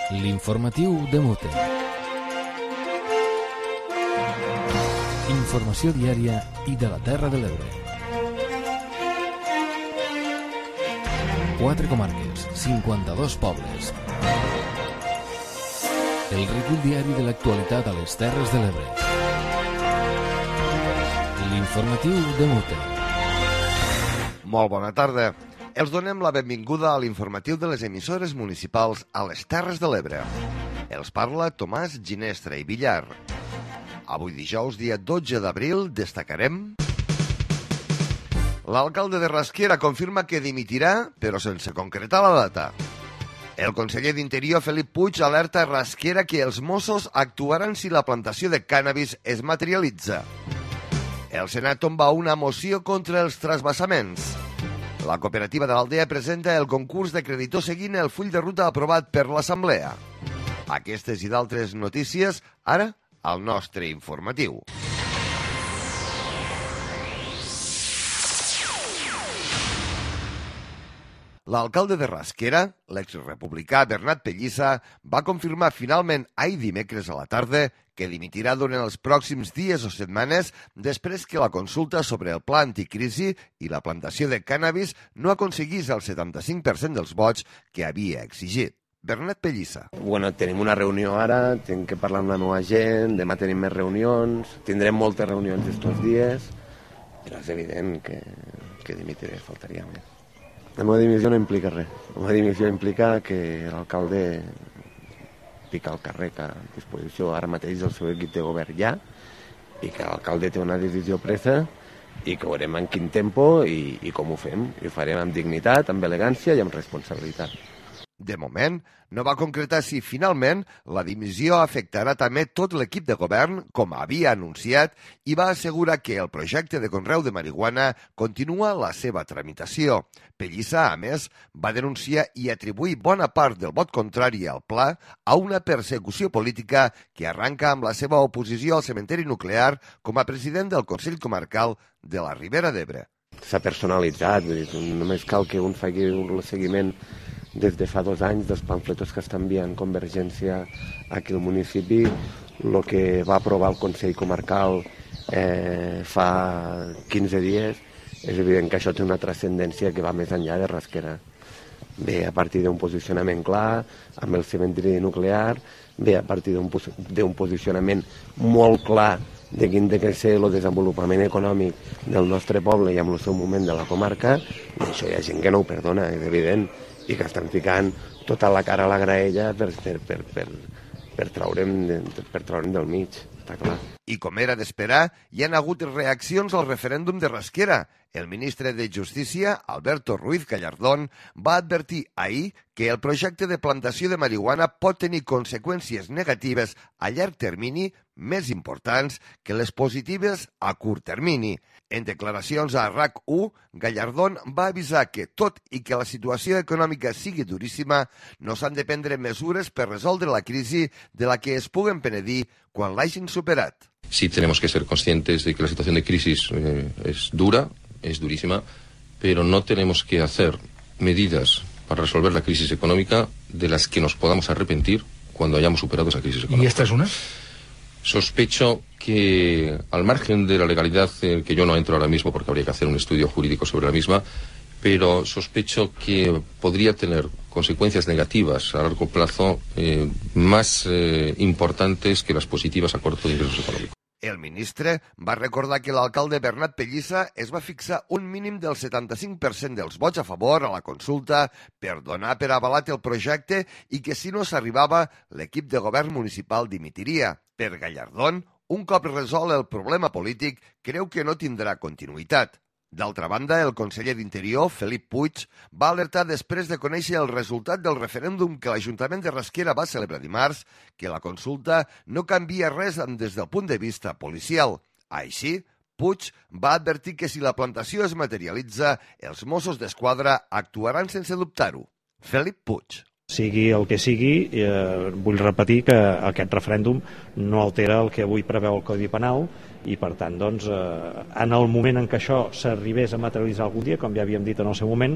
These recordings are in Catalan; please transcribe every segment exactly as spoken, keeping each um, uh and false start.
L'informatiu de Mute. Informació diària i de la Terra de l'Ebre. Quatre comarques, cinquanta-dos pobles. El recull diari de l'actualitat a les Terres de l'Ebre. L'informatiu de Mute. Molt bona tarda. Els donem la benvinguda a l'informatiu de les emissores municipals a les Terres de l'Ebre. Els parla Tomàs Ginestra i Villar. Avui dijous, dia dotze d'abril, destacarem... L'alcalde de Rasquera confirma que dimitirà, però sense concretar la data. El conseller d'Interior, Felip Puig, alerta a Rasquera que els Mossos actuaran si la plantació de cànnabis es materialitza. El Senat tomba una moció contra els trasbassaments. La cooperativa de l'Aldea presenta el concurs de creditor seguint el full de ruta aprovat per l'Assemblea. Aquestes i d'altres notícies, ara, al nostre informatiu. L'alcalde de Rasquera, l'exrepublicà Bernat Pellissa, va confirmar finalment ahir dimecres a la tarda que dimitirà durant els pròxims dies o setmanes després que la consulta sobre el pla anticrisi i la plantació de cànnabis no aconseguís el setanta-cinc per cent dels vots que havia exigit. Bernat Pellissa. Bueno, tenim una reunió ara, tinc que parlar amb la meva gent, demà tenim més reunions, tindrem moltes reunions estos dies, però és evident que, que dimitiré, faltaria més. La meva dimissió no implica res. La meva dimissió implica que l'alcalde pica el carrer que a disposició ara mateix del seu equip de govern ja, i que l'alcalde té una decisió presa i que ho veurem en quin tempo i, i com ho fem. I ho farem amb dignitat, amb elegància i amb responsabilitat. De moment, no va concretar si finalment la dimissió afectarà també tot l'equip de govern, com havia anunciat, i va assegurar que el projecte de conreu de marihuana continua la seva tramitació. Pellissa, a més, va denunciar i atribuir bona part del vot contrari al pla a una persecució política que arranca amb la seva oposició al cementeri nuclear com a president del Consell Comarcal de la Ribera d'Ebre. S'ha personalitzat, només cal que un faci un seguiment des de fa dos anys dels pamfletos que està enviant Convergència aquí al municipi, el que va aprovar el Consell Comarcal eh, fa quinze dies, és evident que això té una transcendència que va més enllà de Rasquera. Ve a partir d'un posicionament clar amb el cementiri nuclear, ve a partir d'un posicionament molt clar de quin ha de ser el desenvolupament econòmic del nostre poble i amb el seu moment de la comarca, i això hi ha gent que no ho perdona, és evident, i que estan ficant tota la cara a la graella per, per, per, per, per traure'm, per traure'm del mig, està clar. I com era d'esperar, hi han hagut reaccions al referèndum de Rasquera. El ministre de Justícia, Alberto Ruiz Gallardón, va advertir ahir que el projecte de plantació de marihuana pot tenir conseqüències negatives a llarg termini més importants que les positives a curt termini. En declaracions a R A C u, Gallardón va avisar que, tot i que la situació econòmica sigui duríssima, no s'han de prendre mesures per resoldre la crisi de la que es puguen penedir quan l'hagin superat. Sí tenemos que ser conscientes de que la situación de crisis eh, es dura, es durísima, pero no tenemos que hacer medidas para resolver la crisis económica de las que nos podamos arrepentir cuando hayamos superado esa crisis económica. ¿Y esta es una? Sospecho que, al margen de la legalidad, eh, que yo no entro ahora mismo porque habría que hacer un estudio jurídico sobre la misma, pero sospecho que podría tener consecuencias negativas a largo plazo eh, más eh, importantes que las positivas a corto de ingresos económicos. El ministre va recordar que l'alcalde Bernat Pellissa es va fixar un mínim del setanta-cinc per cent dels vots a favor a la consulta per donar per avalat el projecte i que si no s'arribava, l'equip de govern municipal dimitiria. Per Gallardón, un cop resolt el problema polític, creu que no tindrà continuïtat. D'altra banda, el conseller d'Interior, Felip Puig, va alertar després de conèixer el resultat del referèndum que l'Ajuntament de Rasquera va celebrar dimarts que la consulta no canvia res des del punt de vista policial. Així, Puig va advertir que si la plantació es materialitza, els Mossos d'Esquadra actuaran sense dubtar-ho. Felip Puig. Sigui el que sigui, eh, vull repetir que aquest referèndum no altera el que avui preveu el Codi Penal i per tant doncs, eh, en el moment en què això s'arribés a materialitzar algun dia, com ja havíem dit en el seu moment,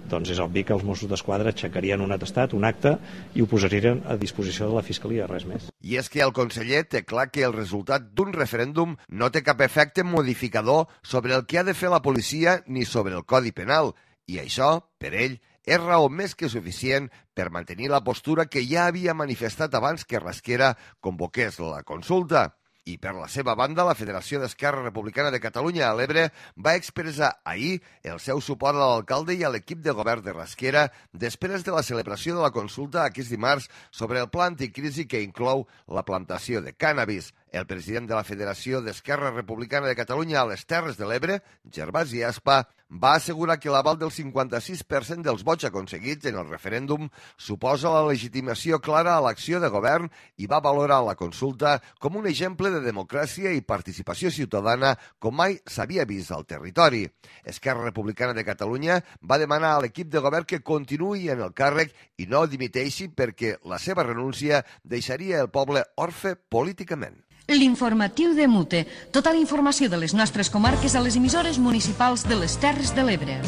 doncs és obvi que els Mossos d'Esquadra aixecarien un atestat, un acte, i ho posarien a disposició de la Fiscalia, res més. I és que el conseller té clar que el resultat d'un referèndum no té cap efecte modificador sobre el que ha de fer la policia ni sobre el Codi Penal, i això, per ell, és raó més que suficient per mantenir la postura que ja havia manifestat abans que Rasquera convoqués la consulta. I per la seva banda, la Federació d'Esquerra Republicana de Catalunya a l'Ebre va expressar ahir el seu suport a l'alcalde i a l'equip de govern de Rasquera després de la celebració de la consulta aquest dimarts sobre el pla anticrisi que inclou la plantació de cànnabis. El president de la Federació d'Esquerra Republicana de Catalunya a les Terres de l'Ebre, Gervasi Aspa, va assegurar que l'aval del cinquanta-sis per cent dels vots aconseguits en el referèndum suposa la legitimació clara a l'acció de govern i va valorar la consulta com un exemple de democràcia i participació ciutadana com mai s'havia vist al territori. Esquerra Republicana de Catalunya va demanar a l'equip de govern que continuï en el càrrec i no dimiteixi perquè la seva renúncia deixaria el poble orfe políticament. L'informatiu de Mute. Tota la informació de les nostres comarques a les emissores municipals de les Terres de l'Ebre.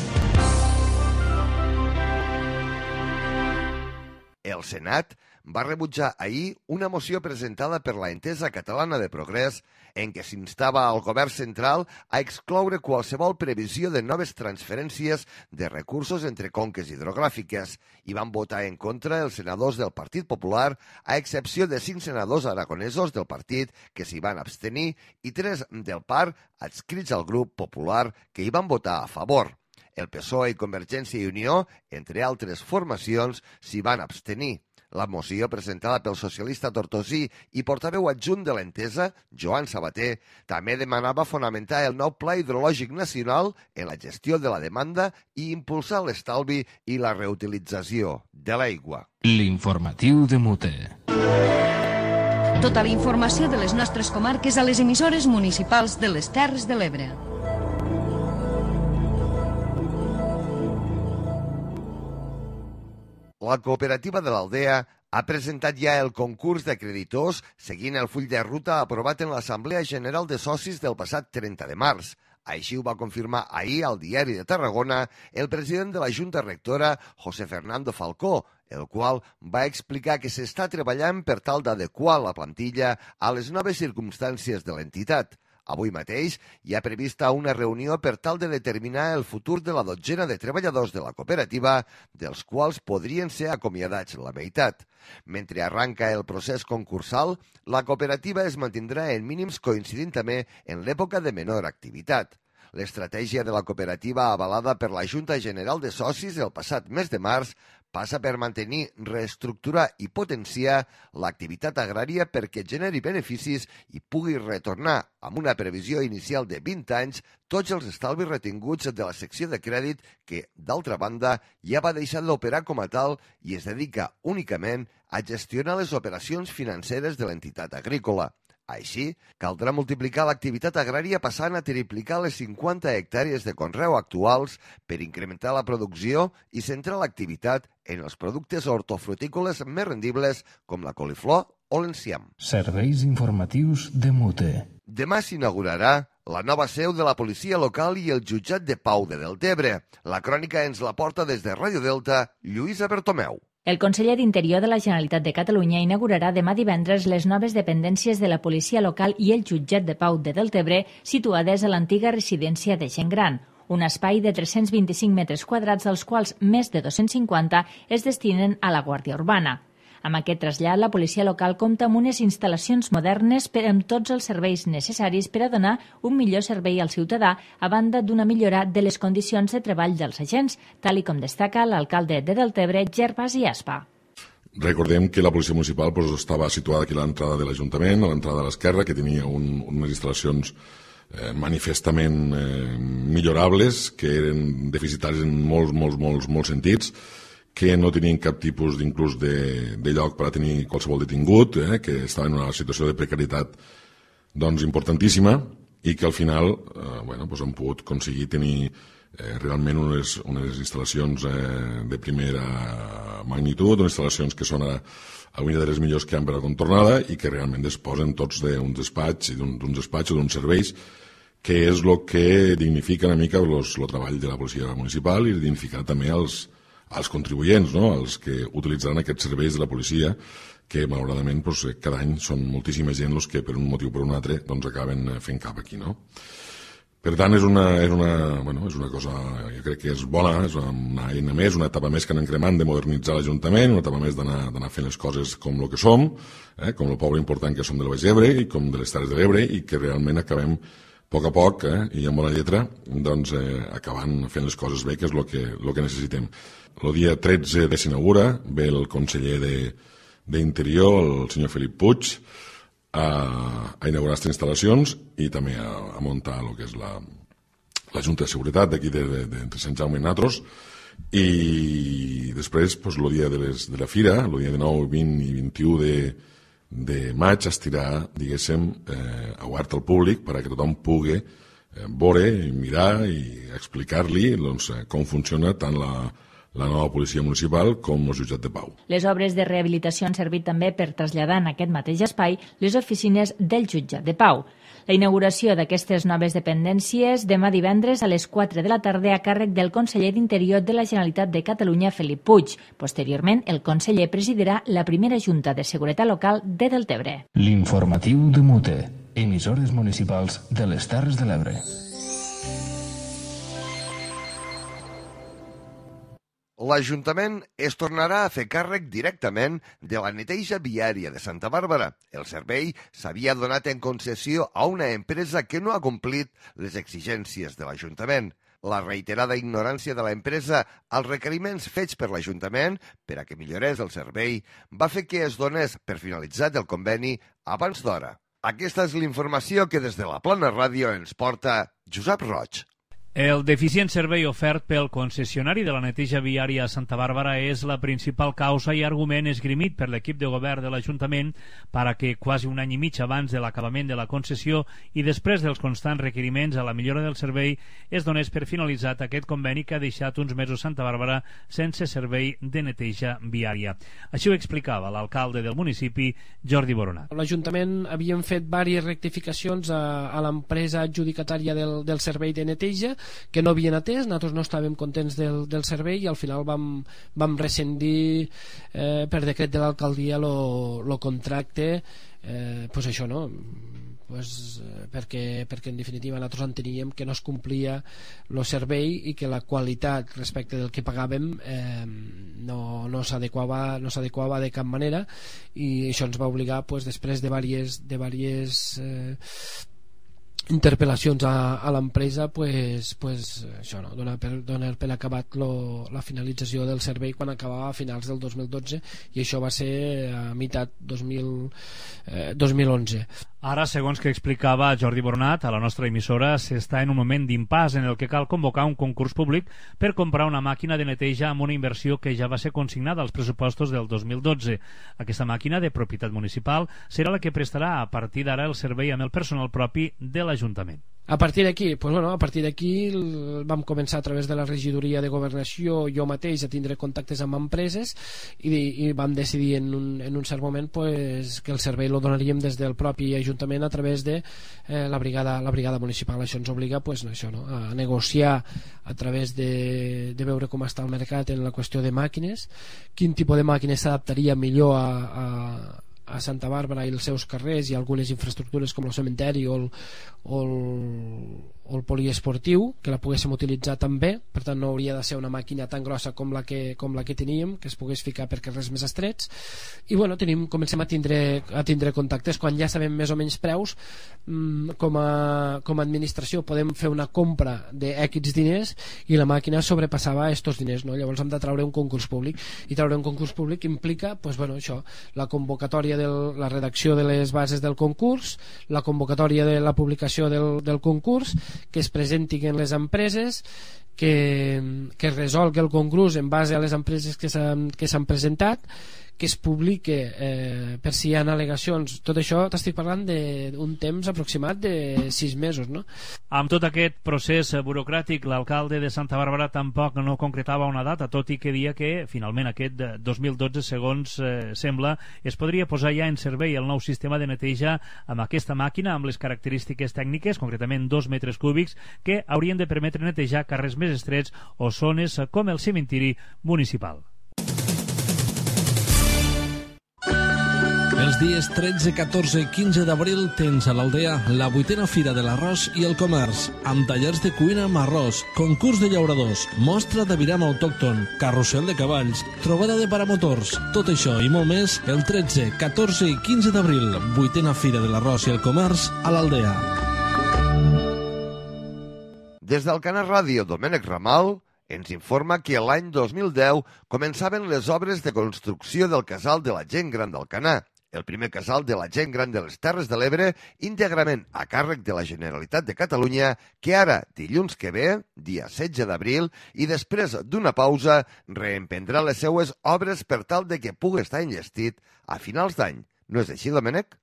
El Senat va rebutjar ahir una moció presentada per la Entesa Catalana de Progrés en què s'instava al govern central a excloure qualsevol previsió de noves transferències de recursos entre conques hidrogràfiques i van votar en contra els senadors del Partit Popular, a excepció de cinc senadors aragonesos del partit que s'hi van abstenir i tres del P A R adscrits al grup popular que hi van votar a favor. El P S O E i Convergència i Unió, entre altres formacions, s'hi van abstenir. La moció presentada pel socialista tortosí i portaveu adjunt de l'Entesa, Joan Sabater, també demanava fonamentar el nou Pla Hidrològic Nacional en la gestió de la demanda i impulsar l'estalvi i la reutilització de l'aigua. L'informatiu de Mute. Tota la informació de les nostres comarques a les emissores municipals de les Terres de l'Ebre. La cooperativa de l'Aldea ha presentat ja el concurs de creditors seguint el full de ruta aprovat en l'Assemblea General de Socis del passat trenta de març. Així ho va confirmar ahir al Diari de Tarragona el president de la Junta Rectora, José Fernando Falcó, el qual va explicar que s'està treballant per tal d'adequar la plantilla a les noves circumstàncies de l'entitat. Avui mateix hi ha prevista una reunió per tal de determinar el futur de la dotzena de treballadors de la cooperativa, dels quals podrien ser acomiadats la meitat. Mentre arranca el procés concursal, la cooperativa es mantindrà en mínims coincidint també en l'època de menor activitat. L'estratègia de la cooperativa avalada per la Junta General de Socis el passat mes de març passa per mantenir, reestructurar i potenciar l'activitat agrària perquè generi beneficis i pugui retornar, amb una previsió inicial de vint anys, tots els estalvis retinguts de la secció de crèdit que, d'altra banda, ja va deixar d'operar com a tal i es dedica únicament a gestionar les operacions financeres de l'entitat agrícola. Així, caldrà multiplicar l'activitat agrària passant a triplicar les cinquanta hectàrees de conreu actuals per incrementar la producció i centrar l'activitat en els productes hortofrutícoles més rendibles com la coliflor o l'enciam. Serveis informatius de Mute. Demà s'inaugurarà la nova seu de la policia local i el jutjat de pau de Deltebre. La crònica ens la porta des de Ràdio Delta, Lluïsa Bertomeu. El conseller d'Interior de la Generalitat de Catalunya inaugurarà demà divendres les noves dependències de la policia local i el jutjat de pau de Deltebre situades a l'antiga residència de gent gran, un espai de tres-cents vint-i-cinc metres quadrats, dels quals més de dos-cents cinquanta es destinen a la Guàrdia Urbana. Amb aquest trasllat, la policia local compta amb unes instal·lacions modernes per amb tots els serveis necessaris per a donar un millor servei al ciutadà, a banda d'una millora de les condicions de treball dels agents, tal i com destaca l'alcalde de Deltebre, Gervasi Aspa. Recordem que la policia municipal pues, estava situada aquí a l'entrada de l'Ajuntament, a l'entrada de l'esquerra, que tenia un, unes instal·lacions eh, manifestament eh, millorables, que eren deficitaris en molts, molts, molts, molts sentits, que no tenien cap tipus d'inclús de, de lloc per a tenir qualsevol detingut, eh, que estava en una situació de precarietat doncs, importantíssima i que al final eh, bueno, doncs han pogut aconseguir tenir eh, realment unes, unes instal·lacions eh, de primera magnitud, unes instal·lacions que són a, a una de les millors que hi ha per a contornada i que realment disposen tots d'un despatx i d'un despatx o d'uns serveis que és el que dignifica una mica el treball de la policia municipal i dignificar també els, els contribuents, no? Els que utilitzaran aquests serveis de la policia, que malauradament doncs, cada any són moltíssima gent els que per un motiu o per un altre doncs, acaben fent cap aquí. No? Per tant, és una, és, una, bueno, és una cosa, jo crec que és bona, és una eina més, una etapa més que anem cremant de modernitzar l'Ajuntament, una etapa més d'anar fent les coses com el que som, eh, com el poble important que som del Baix Ebre i com de les Terres de l'Ebre i que realment acabem a poc a poc, eh, i amb bona lletra, doncs, eh, acabant fent les coses bé, que és el que, lo que necessitem. El dia tretze de s'inaugura, ve el conseller d'Interior, el senyor Felip Puig, a, a inaugurar aquestes instal·lacions i també a, a muntar el que és la, la Junta de Seguretat d'aquí de, de, de, entre Sant Jaume i Natros, i després pues, el dia de, les, de la Fira, el dia dinou, vint i vint-i-u de de maig estirà, diguéssim, eh, obert al públic perquè tothom pugui eh, veure, mirar i explicar-li doncs, com funciona tant la, la nova policia municipal com el jutjat de pau. Les obres de rehabilitació han servit també per traslladar en aquest mateix espai les oficines del jutjat de pau. La inauguració d'aquestes noves dependències demà divendres a les quatre de la tarda a càrrec del conseller d'Interior de la Generalitat de Catalunya, Felip Puig. Posteriorment, el conseller presidirà la primera Junta de Seguretat Local de Deltebre. L'informatiu de Mute, emissores municipals de les Terres de l'Ebre. L'Ajuntament es tornarà a fer càrrec directament de la neteja viària de Santa Bàrbara. El servei s'havia donat en concessió a una empresa que no ha complit les exigències de l'Ajuntament. La reiterada ignorància de l'empresa als requeriments fets per l'Ajuntament per a que millorés el servei va fer que es donés per finalitzat el conveni abans d'hora. Aquesta és l'informació que des de la Plana Ràdio ens porta Josep Roig. El deficient servei ofert pel concessionari de la neteja viària a Santa Bàrbara és la principal causa i argument esgrimit per l'equip de govern de l'Ajuntament per a que quasi un any i mig abans de l'acabament de la concessió i després dels constants requeriments a la millora del servei es donés per finalitzat aquest conveni que ha deixat uns mesos Santa Bàrbara sense servei de neteja viària. Així ho explicava l'alcalde del municipi, Jordi Boronat. L'Ajuntament havíem fet diverses rectificacions a, a l'empresa adjudicatària del, del servei de neteja que no havien atès, nosaltres no estàvem contents del, del servei i al final vam, vam rescindir eh, per decret de l'alcaldia el contracte, eh, pues això no pues, eh, perquè, perquè en definitiva nosaltres enteníem que no es complia el servei i que la qualitat respecte del que pagàvem eh, no, no s'adequava no s'adequava de cap manera i això ens va obligar pues, després de diverses de diverses eh, interpel·lacions a, a l'empresa pues, pues, això no, donar per, donar per acabat lo, la finalització del servei quan acabava a finals del dos mil dotze i això va ser a meitat dos mil, eh, dos mil onze. Ara, segons que explicava Jordi Boronat a la nostra emissora, s'està en un moment d'impàs en el que cal convocar un concurs públic per comprar una màquina de neteja amb una inversió que ja va ser consignada als pressupostos del dos mil dotze. Aquesta màquina de propietat municipal serà la que prestarà a partir d'ara el servei amb el personal propi de l'Ajuntament. A partir d'aquí, pues bueno, a partir d'aquí vam començar a través de la regidoria de governació jo mateix a tindre contactes amb empreses i, i vam decidir en un, en un cert moment pues, que el servei lo donaríem des del propi Ajuntament a través de eh, la, brigada, la brigada municipal. Això ens obliga pues, això, no? a negociar a través de, de veure com està el mercat en la qüestió de màquines, quin tipus de màquines s'adaptaria millor a, a a Santa Bàrbara i els seus carrers i algunes infraestructures com el cementeri o el, o el, o el poliesportiu que la poguéssim utilitzar també, per tant no hauria de ser una màquina tan grossa com la que, com la que teníem, que es pogués ficar per carrers més estrets i bueno, tenim, comencem a tindre, a tindre contactes quan ja sabem més o menys preus mmm, com, a, com a administració podem fer una compra d'X diners i la màquina sobrepassava estos diners, no? Llavors hem de treure un concurs públic i treure un concurs públic implica pues, bueno, això, la convocatòria del, la redacció de les bases del concurs, la convocatòria de la publicació del, del concurs, que es presentin les empreses que, que es resolgui el concurs en base a les empreses que s'han que s'han presentat, que es publique eh, per si hi ha al·legacions. Tot això t'estic parlant d'un temps aproximat de sis mesos, no? Amb tot aquest procés burocràtic, l'alcalde de Santa Bàrbara tampoc no concretava una data, tot i que dia que finalment aquest dos mil dotze, segons eh, sembla, es podria posar ja en servei el nou sistema de neteja amb aquesta màquina, amb les característiques tècniques, concretament dos metres cúbics, que haurien de permetre netejar carrers més estrets o zones com el cementiri municipal. Els dies tretze, catorze i quinze d'abril tens a l'Aldea la vuitena Fira de l'Arròs i el Comerç, amb tallers de cuina amb arròs, concurs de llauradors, mostra de viram autòcton, carrusel de cavalls, trobada de paramotors. Tot això i molt més el tretze, catorze i quinze d'abril, vuitena Fira de l'Arròs i el Comerç a l'Aldea. Des d'Alcanar Ràdio, Domènec Ramal ens informa que l'any dos mil deu començaven les obres de construcció del casal de la gent gran d'Alcanar, el primer casal de la gent gran de les Terres de l'Ebre, íntegrament a càrrec de la Generalitat de Catalunya, que ara, dilluns que ve, dia setze d'abril, i després d'una pausa, reemprendrà les seues obres per tal de que pugui estar enllestit a finals d'any. No és així, Domènec?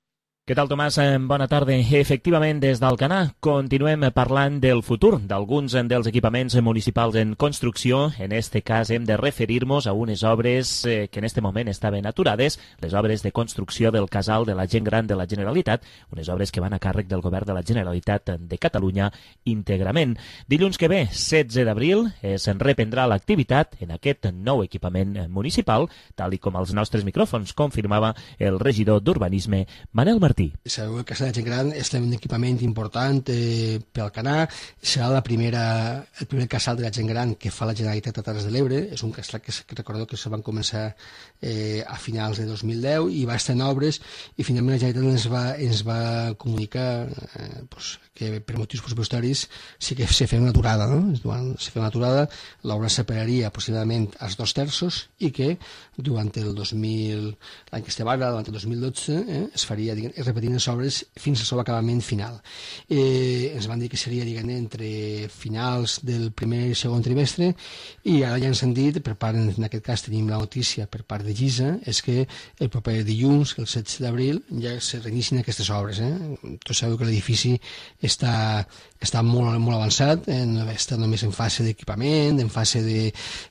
Què tal, Tomàs? Bona tarda. Efectivament, des d'Alcanar continuem parlant del futur d'alguns dels equipaments municipals en construcció. En este cas hem de referir-nos a unes obres que en este moment estaven aturades, les obres de construcció del casal de la gent gran de la Generalitat, unes obres que van a càrrec del govern de la Generalitat de Catalunya íntegrament. Dilluns que ve, setze d'abril, es reprendrà l'activitat en aquest nou equipament municipal, tal i com els nostres micròfons confirmava el regidor d'Urbanisme, Manel Martí. Sabeu que el casal de gent gran és un equipament important eh, per Alcanar. Serà la primera, el primer casal de la gent gran que fa la Generalitat a Terres de l'Ebre. És un casal que, que recordeu que se van començar eh, a finals de dos mil deu i va estar en obres i finalment la Generalitat ens va, ens va comunicar eh, pues, que per motius pressupostaris sí que se feia una aturada, no? Durant, se feia una aturada, l'obra separaria aproximadament als dos terços i que durant el dos mil, l'any que estem ara, durant el dos mil dotze, eh, es faria, diguem, es repetint les obres fins al seu acabament final. Eh, ens van dir que seria, diguem, entre finals del primer i segon trimestre i ara ja ens han dit, per part, en aquest cas tenim la notícia per part de Gisa, és que el proper dilluns, el setze d'abril, ja se reinicien aquestes obres. Eh? Tots sabeu que l'edifici està, està molt, molt avançat, eh? Està només en fase d'equipament, en fase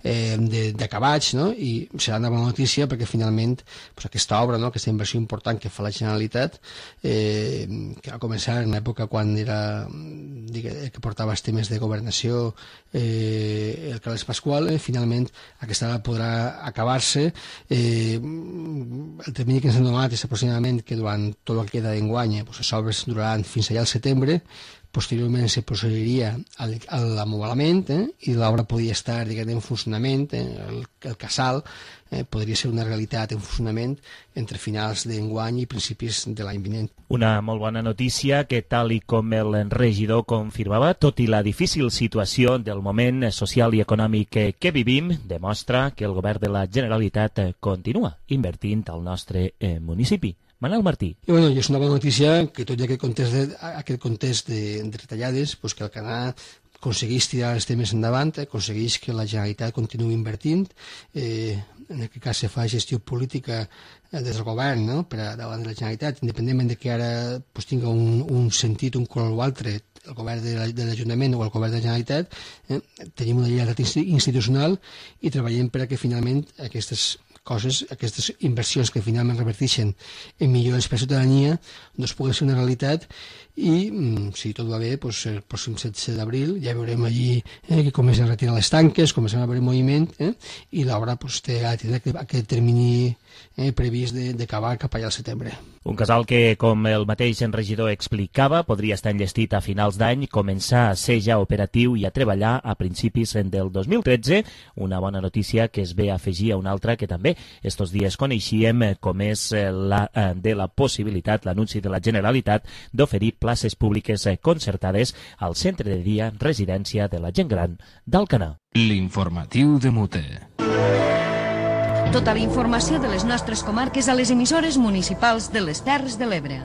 d'acabats, eh, no? I serà una bona notícia perquè finalment pues, aquesta obra, no? Aquesta inversió important que fa la Generalitat, eh, que va començar en l'època quan era digue, que portava els temes de governació eh, el Carles Pasqual, eh, finalment aquesta obra podrà acabar-se. Eh, el termini que ens han donat és aproximadament que durant tot el que queda d'enguany pues, les obres duraran fins allà al setembre. Posteriorment se procediria a l'amoblament eh, i l'obra podria estar diguem, en funcionament, eh, el, el casal eh, podria ser una realitat en funcionament entre finals d'enguany i principis de l'any vinent. Una molt bona notícia que, tal i com el regidor confirmava, tot i la difícil situació del moment social i econòmic que, que vivim, demostra que el govern de la Generalitat continua invertint al nostre eh, municipi. Manel Martí. I, bueno, i és una bona notícia que tot i aquest context de, aquest context de, de retallades, pues que el Canà aconsegueix tirar els temes endavant, eh, aconsegueix que la Generalitat continuï invertint, eh, en aquest cas se fa gestió política eh, des del govern, no? Per a davant de la Generalitat, independentment de que ara pues, tinga un, un sentit, un color o altre, el govern de l'Ajuntament o el govern de la Generalitat, eh, tenim una lleialtat institucional i treballem per a que finalment aquestes coses, aquestes inversions que finalment reverteixen en millores per a la ciutadania, doncs puguen ser una realitat i, si tot va bé, doncs, el pròxim setze d'abril ja veurem allí eh, que comencen a retirar les tanques, comencen a haver moviment eh, i l'obra doncs, té aquest, aquest termini eh, previst d'acabar cap allà al setembre. Un casal que, com el mateix regidor explicava, podria estar enllestit a finals d'any, començar a ser ja operatiu i a treballar a principis del dos mil tretze, una bona notícia que es ve a afegir a una altra que també estos dies coneixíem, com és la de la possibilitat, l'anunci de la Generalitat d'oferir places públiques concertades al centre de dia residència de la gent gran d'Alcanar. L'informatiu de Mute. Tota la informació de les nostres comarques a les emissores municipals de les Terres de l'Ebre.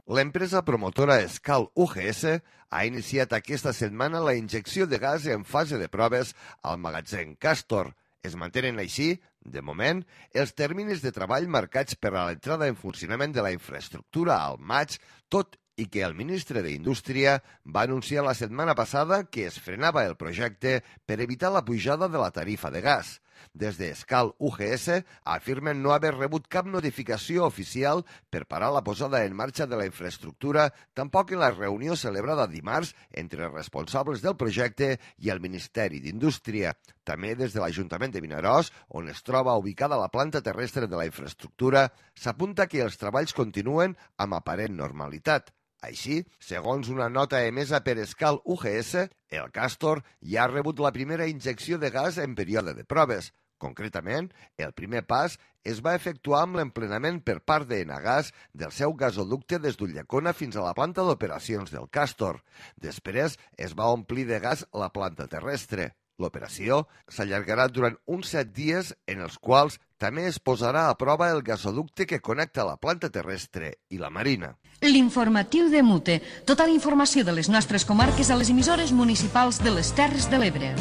L'empresa promotora Escal U G S ha iniciat aquesta setmana la injecció de gas en fase de proves al magatzem Castor. Es mantenen així, de moment, els terminis de treball marcats per a l'entrada en funcionament de la infraestructura al maig, tot i que el ministre d'Indústria va anunciar la setmana passada que es frenava el projecte per evitar la pujada de la tarifa de gas. Des d'Escal U G S afirmen no haver rebut cap notificació oficial per parar la posada en marxa de la infraestructura, tampoc en la reunió celebrada dimarts entre els responsables del projecte i el Ministeri d'Indústria. També des de l'Ajuntament de Vinaròs, on es troba ubicada la planta terrestre de la infraestructura, s'apunta que els treballs continuen amb aparent normalitat. Així, segons una nota emesa per Escal U G S, el Castor ja ha rebut la primera injecció de gas en període de proves. Concretament, el primer pas es va efectuar amb l'emplenament per part d'Enagas del seu gasoducte des d'Ulldecona fins a la planta d'operacions del Castor. Després es va omplir de gas la planta terrestre. L'operació s'allargarà durant uns set dies en els quals també es posarà a prova el gasoducte que connecta la planta terrestre i la marina. L'informatiu de Mute. Tota la informació de les nostres comarques a les emissores municipals de les Terres de l'Ebre.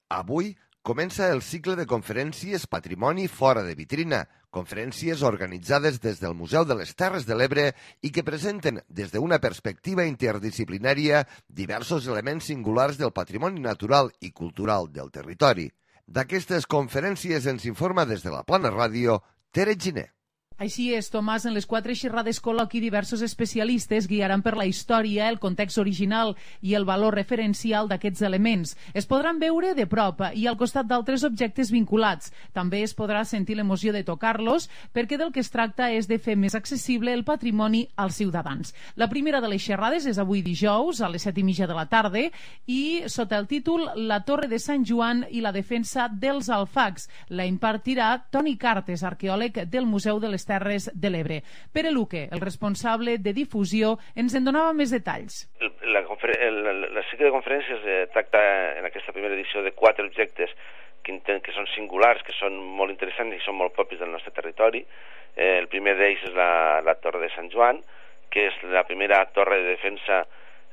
Avui comença el cicle de conferències Patrimoni fora de vitrina, conferències organitzades des del Museu de les Terres de l'Ebre i que presenten des d'una perspectiva interdisciplinària diversos elements singulars del patrimoni natural i cultural del territori. D'aquestes conferències ens informa des de la Plana Ràdio Tere Giner. Així és, Tomàs, en les quatre xerrades col·loqui diversos especialistes guiaran per la història, el context original i el valor referencial d'aquests elements. Es podran veure de prop i al costat d'altres objectes vinculats. També es podrà sentir l'emoció de tocar-los perquè del que es tracta és de fer més accessible el patrimoni als ciutadans. La primera de les xerrades és avui dijous a les set i mitja de la tarda i sota el títol La Torre de Sant Joan i la defensa dels alfacs. La impartirà Toni Cartes, arqueòleg del Museu de les Terres de l'Ebre. Pere Luque, el responsable de difusió, ens en donava més detalls. La, la, la cicle de conferències eh, tracta en aquesta primera edició de quatre objectes que, que són singulars, que són molt interessants i són molt propis del nostre territori. Eh, el primer d'ells és la, la Torre de Sant Joan, que és la primera torre de defensa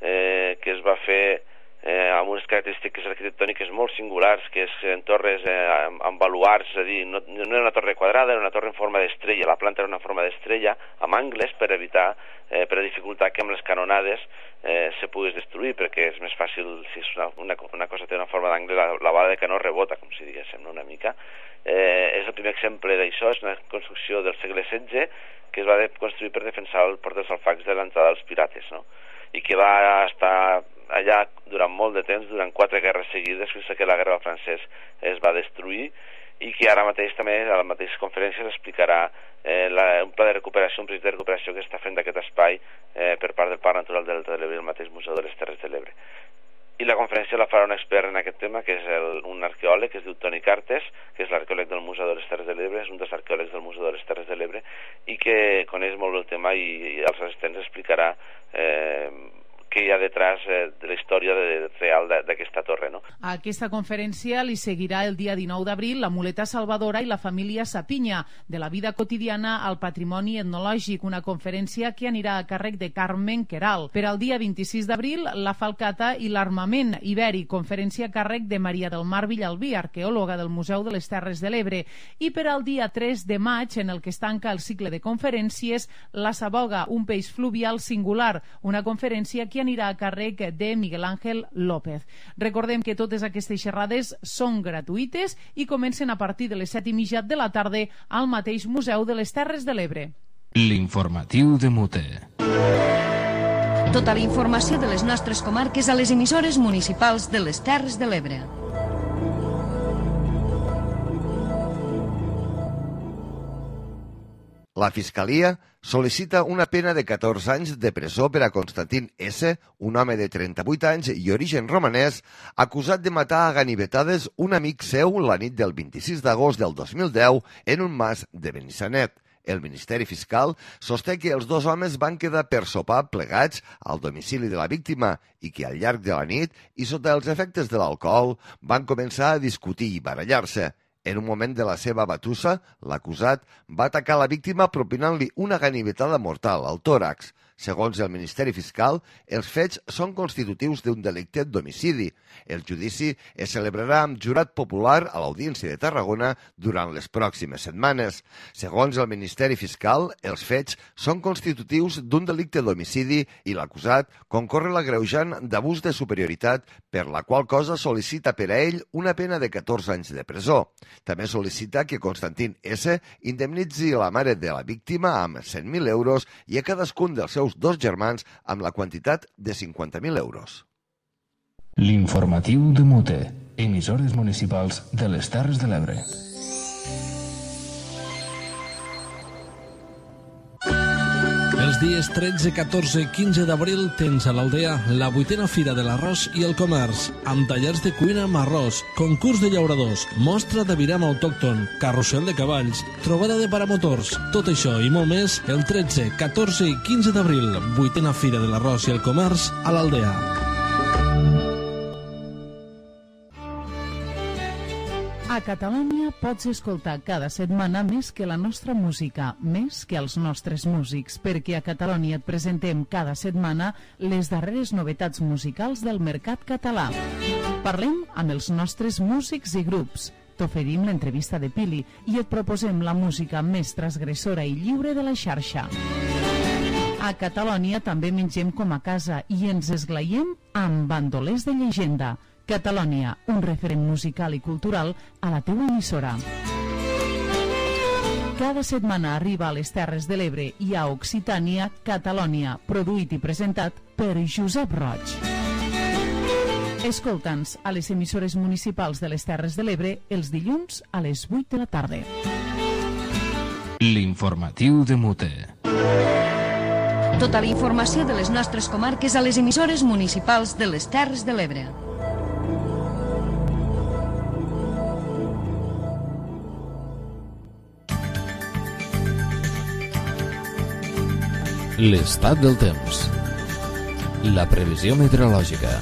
eh, que es va fer Eh, amb unes característiques arquitectòniques molt singulars, que és en torres eh, amb, amb baluards, és a dir, no, no era una torre quadrada, era una torre en forma d'estrella, la planta era una forma d'estrella, amb angles per evitar, eh, per dificultar que amb les canonades eh, se pogués destruir, perquè és més fàcil, si és una, una, una cosa té una forma d'angle, la, la bala de canó rebota, com si diguéssim, no? Una mica. Eh, és el primer exemple d'això, és una construcció del segle setze que es va de construir per defensar el port dels alfacs de l'entrada dels pirates, no? I que va estar allà durant molt de temps, durant quatre guerres seguides, fins que la guerra del francès es va destruir, i que ara mateix també a les mateixes conferències explicarà eh, la, un pla de recuperació, un projecte de recuperació que està fent d'aquest espai eh, per part del Parc Natural del Delta de l'Ebre i el mateix Museu de les Terres de l'Ebre. I la conferència la farà un expert en aquest tema, que és el, un arqueòleg, que es diu Toni Cartes, que és l'arqueòleg del Museu de les Terres de l'Ebre, és un dels arqueòlegs del Museu de les Terres de l'Ebre, i que coneix molt el tema i, i als assistents explicarà eh, què hi ha detrás eh, de la història de, real d'aquesta torre, no? A aquesta conferència li seguirà el dia dinou d'abril la muleta salvadora i la família Sapinya, de la vida quotidiana al patrimoni etnològic, una conferència que anirà a càrrec de Carmen Queral. Per al dia vint-i-sis d'abril, la falcata i l'armament ibèric, conferència a càrrec de Maria del Mar Villalbí, arqueòloga del Museu de les Terres de l'Ebre. I per al dia tres de maig, en el que es tanca el cicle de conferències, la Saboga, un peix fluvial singular, una conferència que anirà a càrrec de Miguel Ángel López. Recordem que totes aquestes xerrades són gratuïtes i comencen a partir de les set i mitja de la tarda al mateix Museu de les Terres de l'Ebre. L'informatiu de Mute. Tota la informació de les nostres comarques a les emissores municipals de les Terres de l'Ebre. La Fiscalia sol·licita una pena de catorze anys de presó per a Constantin S., un home de trenta-vuit anys i origen romanès, acusat de matar a ganivetades un amic seu la nit del vint-i-sis d'agost del dos mil deu en un mas de Benissanet. El Ministeri Fiscal sosté que els dos homes van quedar per sopar plegats al domicili de la víctima i que al llarg de la nit i sota els efectes de l'alcohol van començar a discutir i barallar-se. En un moment de la seva batussa, l'acusat va atacar la víctima propinant-li una ganivetada mortal al tòrax. Segons el Ministeri Fiscal, els fets són constitutius d'un delicte d'homicidi. El judici es celebrarà amb jurat popular a l'Audiència de Tarragona durant les pròximes setmanes. Segons el Ministeri Fiscal, els fets són constitutius d'un delicte d'homicidi i l'acusat concorre l'agreujant d'abús de superioritat, per la qual cosa sol·licita per a ell una pena de catorze anys de presó. També sol·licita que Constantín S. indemnitzi la mare de la víctima amb cent mil euros i a cadascun dels seus dos germans amb la quantitat de cinquanta mil euros. L'informatiu de Mute, emissores municipals de les Terres de l'Ebre. Els dies tretze, catorze i quinze d'abril tens a l'Aldea la vuitena Fira de l'Arròs i el Comerç, amb tallers de cuina amb arròs, concurs de llauradors, mostra de viram autòcton, carrusel de cavalls, trobada de paramotors. Tot això i molt més el tretze, catorze i quinze d'abril, vuitena Fira de l'Arròs i el Comerç a l'Aldea. A Catalunya pots escoltar cada setmana més que la nostra música, més que els nostres músics, perquè a Catalunya et presentem cada setmana les darreres novetats musicals del mercat català. Parlem amb els nostres músics i grups, t'oferim l'entrevista de Pili i et proposem la música més transgressora i lliure de la xarxa. A Catalunya també mengem com a casa i ens esglaiem amb bandolers de llegenda. Catalunya, un referent musical i cultural a la teua emissora. Cada setmana arriba a les Terres de l'Ebre i a Occitània, Catalunya, produït i presentat per Josep Roig. Escolta'ns a les emissores municipals de les Terres de l'Ebre els dilluns a les vuit de la tarda. L'informatiu de Mute. Tota la informació de les nostres comarques a les emissores municipals de les Terres de l'Ebre. L'estat del temps. La previsió meteorològica.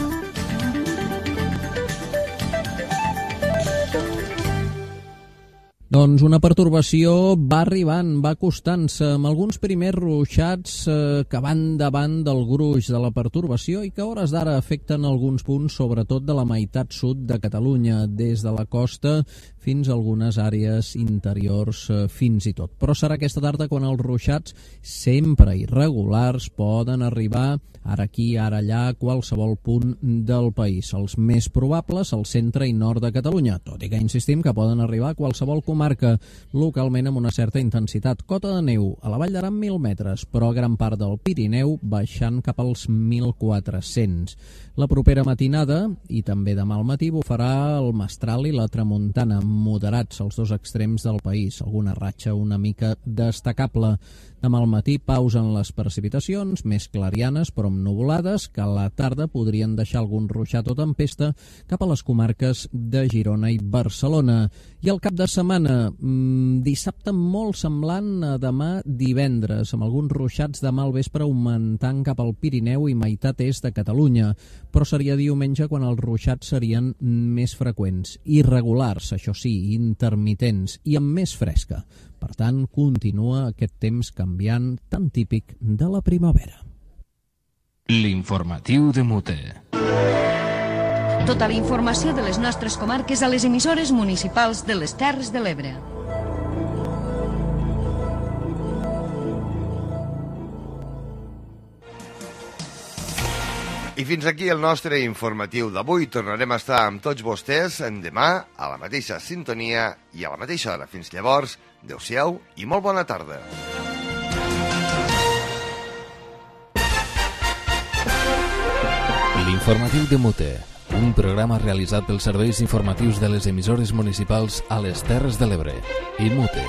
Doncs una pertorbació va arribant, va acostant-se amb alguns primers ruixats eh, que van davant del gruix de la pertorbació i que a hores d'ara afecten alguns punts, sobretot de la meitat sud de Catalunya, des de la costa fins a algunes àrees interiors eh, fins i tot. Però serà aquesta tarda quan els ruixats, sempre irregulars, poden arribar ara aquí, ara allà, a qualsevol punt del país. Els més probables al centre i nord de Catalunya, tot i que insistim que poden arribar a qualsevol comarca, localment amb una certa intensitat. Cota de neu a la Vall d'Aran mil metres, però gran part del Pirineu baixant cap als mil quatre-cents. La propera matinada i també demà al matí bufarà el mestral i la tramuntana, moderats als dos extrems del país, alguna ratxa una mica destacable. Demà al matí pausen les precipitacions, més clarianes però amb nuvolades, que a la tarda podrien deixar algun ruixat o tempesta cap a les comarques de Girona i Barcelona. I el cap de setmana, mmm, dissabte molt semblant a demà divendres, amb alguns ruixats demà al vespre augmentant cap al Pirineu i meitat est de Catalunya, però seria diumenge quan els ruixats serien més freqüents, irregulars, això sí, intermitents i amb més fresca. Per tant, continua aquest temps canviant tan típic de la primavera. L'informatiu de Mute. Tota la informació de les nostres comarques a les emissores municipals de les Terres de l'Ebre. I fins aquí el nostre informatiu d'avui. Tornarem a estar amb tots vostès demà a la mateixa sintonia i a la mateixa hora. Fins llavors, adeu-siau i molt bona tarda. L'informatiu de Mute, un programa realitzat pels serveis informatius de les emissores municipals a les Terres de l'Ebre i Mute.